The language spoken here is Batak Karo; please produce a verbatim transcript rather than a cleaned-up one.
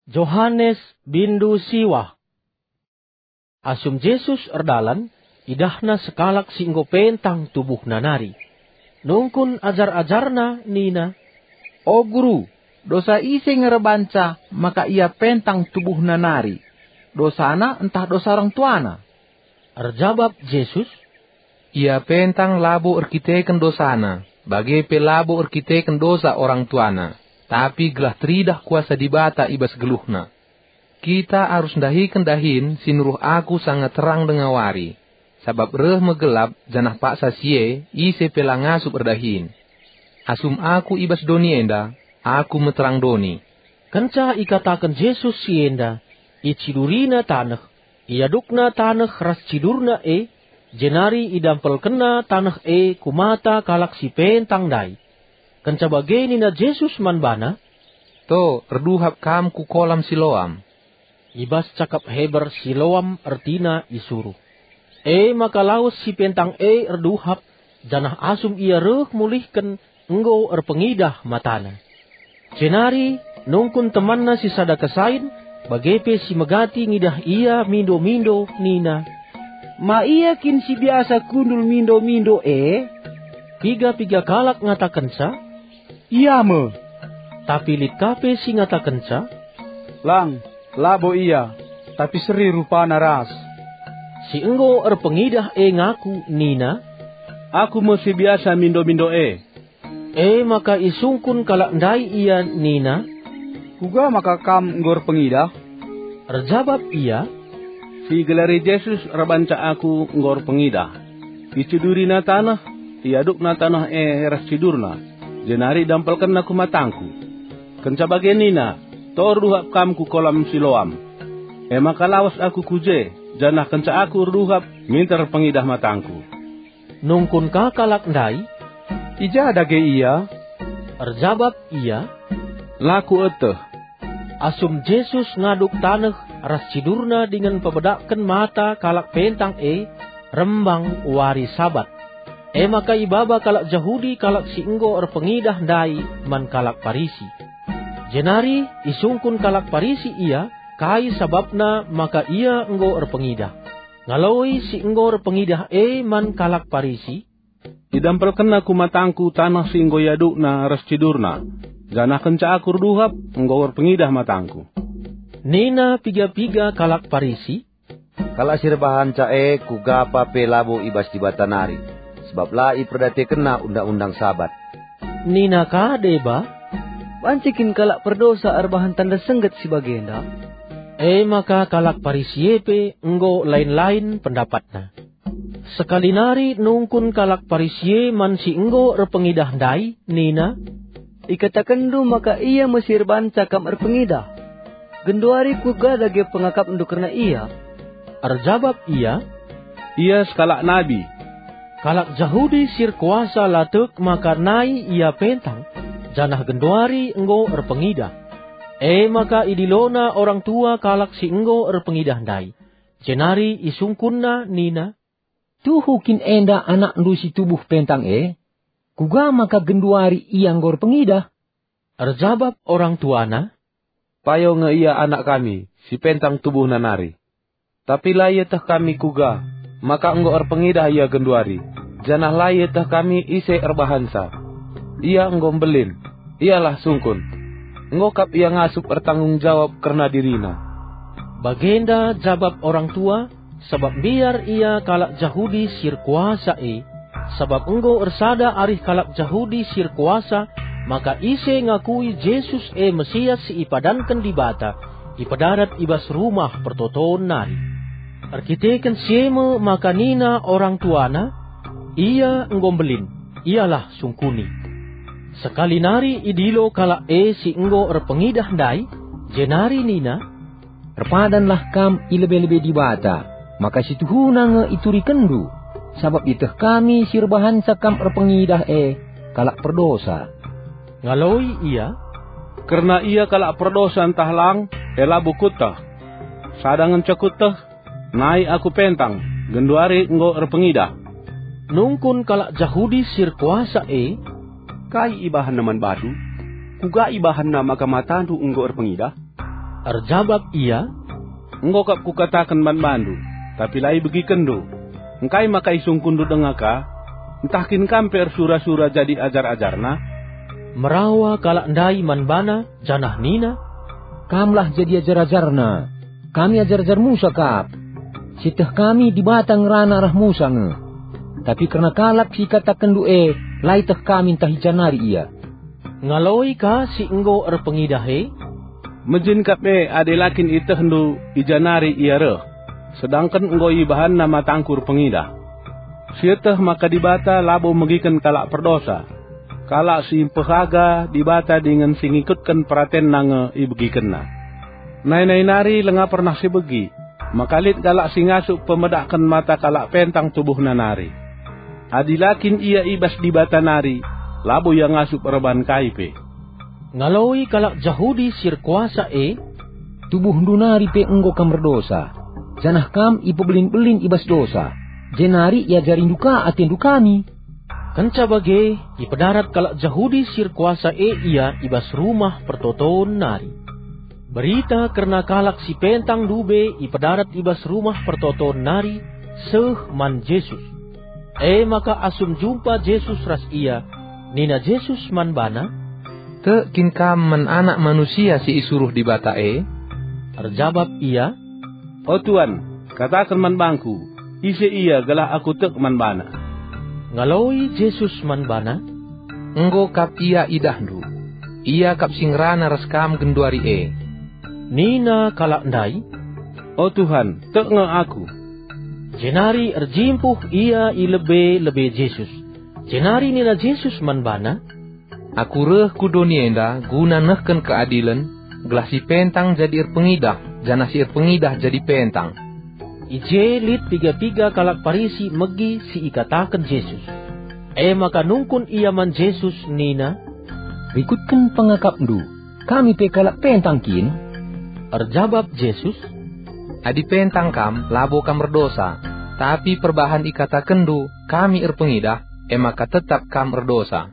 Johanes bindu siwah. Asum Jesus erdalan, idahna sekalak si enggo pentang tubuhna nari. Nungkun ajar-ajarNa nina, "O Guru, dosa ise nge erbanca maka ia pentang tubuhna nari? Dosana ntah dosa orang tuana?" Erjabap Jesus, "Ia pentang labo erkiteken dosana, bage pe labo erkiteken dosa orang tuana, tapi gelah teridah kuasa Dibata i bas geluhna. Kita arus ndahiken dahin si nuruh Aku sanga terang denga wari, sabap reh me gelap, janah paksa si e ise pe la ngasup erdahin. Asum Aku i bas doni enda, Aku me terang doni." Kenca ikataken Jesus si enda, icidurina taneh, iadukna taneh ras cidurna e, jenari idampelkenna taneh e ku mata kalak si pentang ndai. Kenca bage nina Jesus man bana, "To, erduhap kam ku kolam Siloam." I bas cakap Heber, Siloam ertina isuruh. E maka lawes si pentang e erduhap, janah asum ia reh mulihken, enggo erpengidah matana. Jenari nungkun temanna si sada kesain, bage pe si megati ngidah ia mindo-mindo nina, "Ma ia kin si biasa kundul mindo-mindo e?" Piga-piga kalak ngatakenca, "Ia me." Tapi lit ka pe si ngatakenca, "Lang, labo ia, tapi seri rupana ras." Si enggo erpengidah e ngaku nina, "Aku me si biasa mindo-mindo e." E maka isungkun kalak ndai ia nina, "Kuga maka kam enggo erpengidah?" Erjabap ia, "Si igelari Jesus erbanca aku enggo erpengidah. Icidurina taneh, iadukna taneh e ras cidurna, jenari idampelkenna ku matangku. Kenca bage nina, 'To erduhap kam ku kolam Siloam.' E maka lawes aku ku je, janah kenca aku erduhap, minter erpengidah matangku." Nungkun ka kalak ndai, "I ja dage ia?" Erjabap ia, "La kueteh." Asum Jesus ngaduk taneh ras cidurna dingen pebedakken mata kalak pentang e, rembang wari Sabat. E maka ibaba kalak Jahudi kalak si enggo erpengidah ndai man kalak Parisi. Jenari isungkun kalak Parisi ia, kai sabapna maka ia enggo erpengidah. Ngaloi si enggo erpengidah e man kalak Parisi, "Idampelkenna ku matangku taneh si enggo iadukna ras cidurna, janah kenca aku erduhap, enggo erpengidah matangku." Nina piga-piga kalak Parisi, "Kalak si erbahanca e kuga pa pe labo i bas Dibata nari, sabap la iperdiatekenna undang-undang Sabat." Nina ka deba, "Banci kin kalak perdosa erbahan tanda sengget si bagenda?" E maka kalak Parisi e pe enggo lain-lain pendapatna. Sekali nari nungkun kalak Parisi e man si enggo erpengidah ndai nina, "Ikatakenndu maka ia me si erbanca kam erpengidah. Genduari kuga dage pengakapndu kerna ia?" Erjabap ia, "Ia sekalak nabi." Kalak Jahudi si erkuasa la tek maka nai ia pentang, janah genduari enggo erpengidah. E maka idilona orang tua kalak si enggo erpengidah ndai, jenari isungkunna nina, "Tuhu kin enda anakndu si tubuh pentang e? Kuga maka genduari ia enggo erpengidah?" Erjabap orang tuana, "Payo nge ia anak kami, si pentang tubuhna nari. Tapi la ieteh kami kuga maka enggo erpengidah ia genduari, janah la ieteh kami ise erbahanca. Ia enggo mbelin, ialah sungkun. Enggo kap ia ngasup ertanggung jawab kerna dirina." Bagenda jabap orang tua, sabap mbiar ia kalak Jahudi si erkuasa e, sabap enggo ersada arih kalak Jahudi si erkuasa maka ise ngakui Jesus e Mesias si ipadanken Dibata, ipedarat i bas Rumah Pertoton nari. Erkiteken si e me maka nina orang tuana, "Ia enggo mbelin, ialah sungkuni." Sekali nari idilo kalak e si enggo erpengidah ndai, jenari nina, "Erpadanlah kam i lebe-lebe Dibata, maka si tuhuna nge iturikenndu, sabap ieteh kami si erbahanca kam erpengidah e kalak perdosa." Ngaloi ia, "Kerna ia kalak perdosa ntah lang, e labo kueteh. Sada ngenca kueteh, nai aku pentang, genduari enggo erpengidah." Nungkun kalak Jahudi si erkuasa e, "Kai ibahanna man bandu? Kuga ibahanna maka matandu enggo erpengidah?" Erjabap ia, "Enggo kap kukataken man bandu, tapi la ibegikenndu. Engkai maka isungkunndu denga ka? Ntah kin kam pe ersura-sura jadi ajar-ajarNa?" Merawa kalak ndai man baNa, janah nina, "Kamlah jadi ajar-ajarNa. Kami ajar-ajar Musa kap. Sieteh kami Dibata ngerana arah Musa nge. Tapi kerna kalak si ikatakenndu e, la ieteh kami ntah i ja nari ia." Ngaloi ka si enggo erpengidah e, "Mejin kap e adi la kin ietehndu i ja nari ia reh, sedangken enggo ibahanna matangku erpengidah. Sieteh maka Dibata labo megiken kalak perdosa. Kalak si mpehaga Dibata dingen si ngikutken peratenNa nge ibegikenNa. Nai-nai nari langa pernah sibegi, maka lit kalak si ngasup pemedakken mata kalak pentang tubuhna nari. Adi la kin ia i bas Dibata nari, labo ia ngasup erban kai pe." Ngaloi kalak Jahudi si erkuasa e, "Tubuhndu nari pe enggo kam erdosa, janah kam ipebelin-belin i bas dosa, jenari iajarindu ka atendu kami?" Kenca bage, ipedarat kalak Jahudi si erkuasa e ia i bas Rumah Pertoton nari. Berita kerna kalak si pentang ndube ipedarat i bas Rumah Pertoton nari seh man Jesus. E maka asum jumpa Jesus ras ia, nina Jesus man bana, "Tek kin kam man Anak Manusia si isuruh Dibata e?" Erjabap ia, "O Tuan, kataken man bangku, ise ia gelah aku tek man bana." Ngaloi Jesus man bana, "Enggo kap ia idahndu. Ia kap si ngerana ras kam genduari e." Nina kalak ndai, "O Tuhan, tek nge aku." Jenari erjimpuh ia i lebe-lebe Jesus. Jenari nina Jesus man bana, "Aku reh ku doni enda guna nehken keadilen, gelah si pentang jadi erpengidah, janah si erpengidah jadi pentang." I je lit piga-piga kalak Parisi megi si ikataken Jesus. E maka nungkun ia man Jesus nina, "Rikutken pengakapndu, kami pe kalak pentang kin?" Erjabap Jesus, "Adi pentang kam, labo kam erdosa. Tapi perbahan ikatakenndu, 'Kami erpengidah,' e maka tetap kam erdosa."